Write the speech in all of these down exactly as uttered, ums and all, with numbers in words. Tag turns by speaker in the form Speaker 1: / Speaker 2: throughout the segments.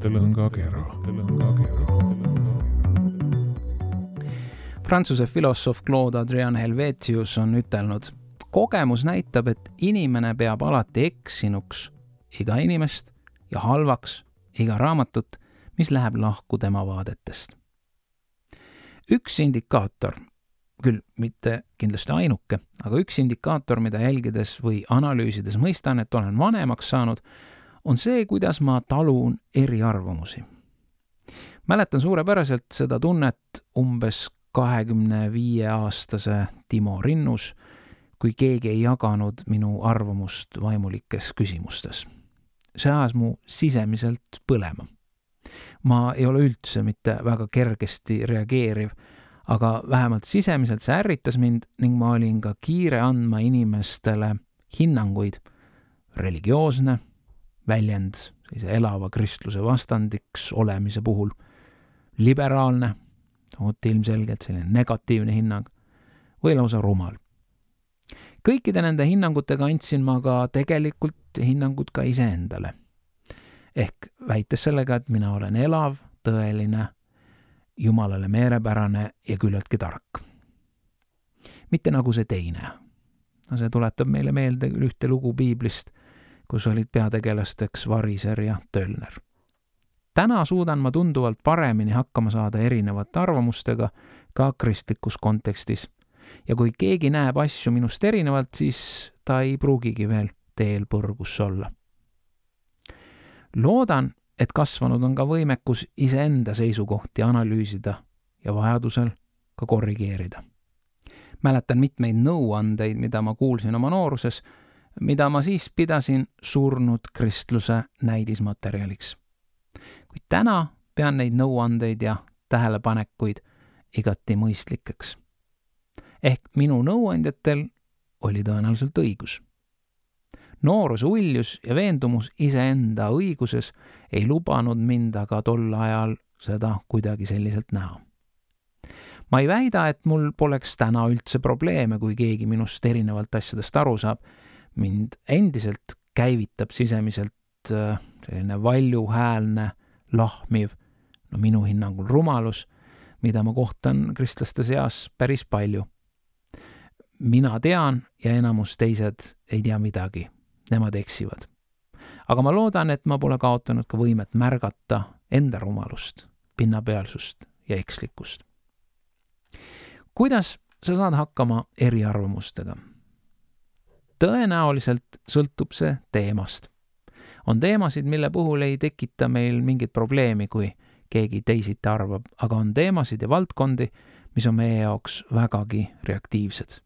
Speaker 1: mõttelõngakera.
Speaker 2: Prantsuse filosoof Claude Adrien Helvetius on ütelnud, kogemus näitab, et inimene peab alati eksinuks iga inimest ja halvaks iga raamatut, mis läheb lahku tema vaadetest. Üks indikaator, küll mitte kindlasti ainuke, aga üks indikaator, mida jälgides või analüüsides mõistan, et olen vanemaks saanud, on see, kuidas ma talun eriarvamusi. Mäletan suurepäraselt seda tunnet umbes kahekümne viie aastase Timo Rinnus, kui keegi ei jaganud minu arvamust vaimulikes küsimustes. See ajas mu sisemiselt põlema. Ma ei ole üldse mitte väga kergesti reageeriv, aga vähemalt sisemiselt see ärritas mind ning ma olin ka kiire andma inimestele hinnanguid. Religioosne väljend sellise elava kristluse vastandiks olemise puhul, liberaalne, ilmselgelt selline negatiivne hinnang või lausa rumal. Kõikide nende hinnangutega andsin ma ka tegelikult hinnangud ka iseendale. Ehk väites sellega, et mina olen elav, tõeline, Jumalale meerepärane ja küllaltki tark. Mitte nagu see teine. See tuletab meile meelde ühte lugu piiblist, kus olid peategelasteks Variser ja Tölner. Täna suudan ma tunduvalt paremini hakkama saada erinevate arvamustega ka kristlikus kontekstis. Ja kui keegi näeb asju minust erinevalt, siis ta ei pruugigi veel teel põrgus olla. Loodan, et kasvanud on ka võimekus iseenda seisukohti analüüsida ja vajadusel ka korrigeerida. Mäletan mitmeid nõuandeid, mida ma kuulsin oma nooruses, mida ma siis pidasin surnud kristluse näidismaterjaliks. Kuid täna pean neid nõuandeid ja tähelepanekuid igati mõistlikeks. Ehk minu nõuandjatel oli tõenäoliselt õigus. Nooruse uljus ja veendumus iseenda õiguses ei lubanud mind aga tol ajal seda kuidagi selliselt näha. Ma ei väida, et mul poleks täna üldse probleeme, kui keegi minust erinevalt asjadest aru saab. Mind endiselt käivitab sisemiselt selline valjuhäälne, lahmiv, no minu hinnangul rumalus, mida ma kohtan kristlaste seas päris palju. Mina tean ja enamus teised ei tea midagi. Nemad eksivad. Aga ma loodan, et ma pole kaotanud ka võimet märgata enda rumalust, pinnapealsust ja ekslikkust. Kuidas sa saad hakkama eriarvamustega? Tõenäoliselt sõltub see teemast. On teemasid, mille puhul ei tekita meil mingit probleemi, kui keegi teisiti arvab, aga on teemasid ja valdkondi, mis on meie jaoks vägagi reaktiivsed.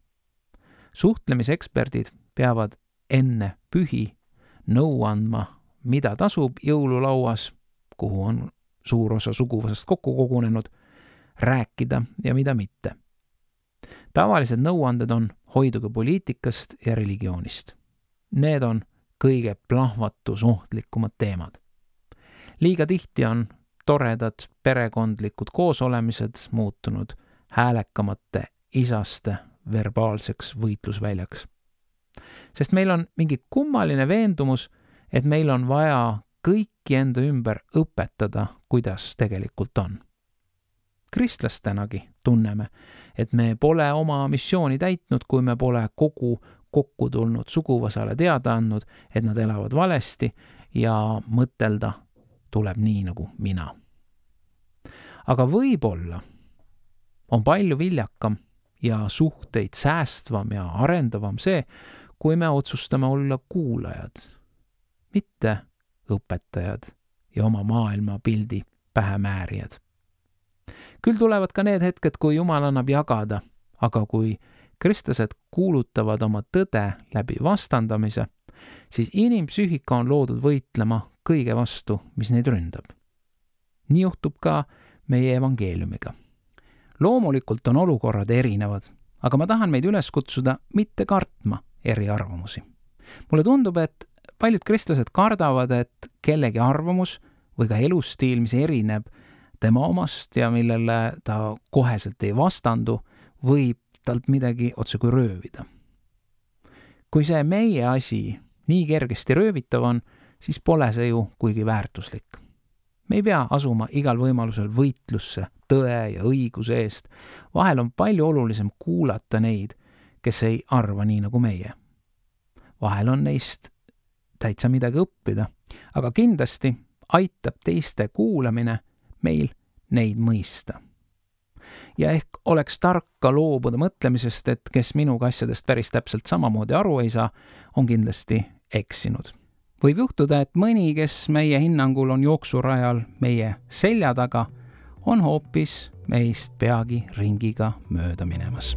Speaker 2: Suhtlemiseksperdid peavad enne pühi nõu andma, mida tasub jõululauas, kuhu on suur osa suguvõsast kokku kogunenud, rääkida ja mida mitte. Tavalised nõuanded on hoiduge poliitikast ja religioonist. Need on kõige plahvatus ohtlikumad teemad. Liiga tihti on toredad perekondlikud koosolemised muutunud häälekamate isaste verbaalseks võitlusväljaks. Sest meil on mingi kummaline veendumus, et meil on vaja kõiki enda ümber õpetada, kuidas tegelikult on. Kristlastenagi tunneme, et me pole oma missiooni täitnud, kui me pole kogu kokku tulnud suguvõsale teada andnud, et nad elavad valesti ja mõtelda tuleb nii nagu mina. Aga võib-olla on palju viljakam ja suhteid säästvam ja arendavam see, kui me otsustame olla kuulajad, mitte õpetajad ja oma maailma pildi pähemäärijad. Küll tulevad ka need hetked, kui Jumal annab jagada, aga kui kristlased kuulutavad oma tõde läbi vastandamise, siis inimpsüühika on loodud võitlema kõige vastu, mis neid ründab. Nii juhtub ka meie evangeeliumiga. Loomulikult on olukorrad erinevad, aga ma tahan meid üles kutsuda mitte kartma eriarvamusi. Mulle tundub, et paljud kristlased kardavad, et kellegi arvamus või ka elustiil, mis erineb tema omast ja millele ta koheselt ei vastandu, võib talt midagi otse kui röövida. Kui see meie asi nii kergesti röövitav on, siis pole see ju kuigi väärtuslik. Me ei pea asuma igal võimalusel võitlusse tõe ja õiguse eest. Vahel on palju olulisem kuulata neid, kes ei arva nii nagu meie. Vahel on neist täitsa midagi õppida, aga kindlasti aitab teiste kuulamine meil neid mõista. Ja ehk oleks tark ka loobuda mõtlemisest, et kes minuga asjadest päris täpselt samamoodi aru ei saa, on kindlasti eksinud. Võib juhtuda, et mõni, kes meie hinnangul on jooksurajal meie selja taga, on hoopis meist peagi ringiga mööda minemas.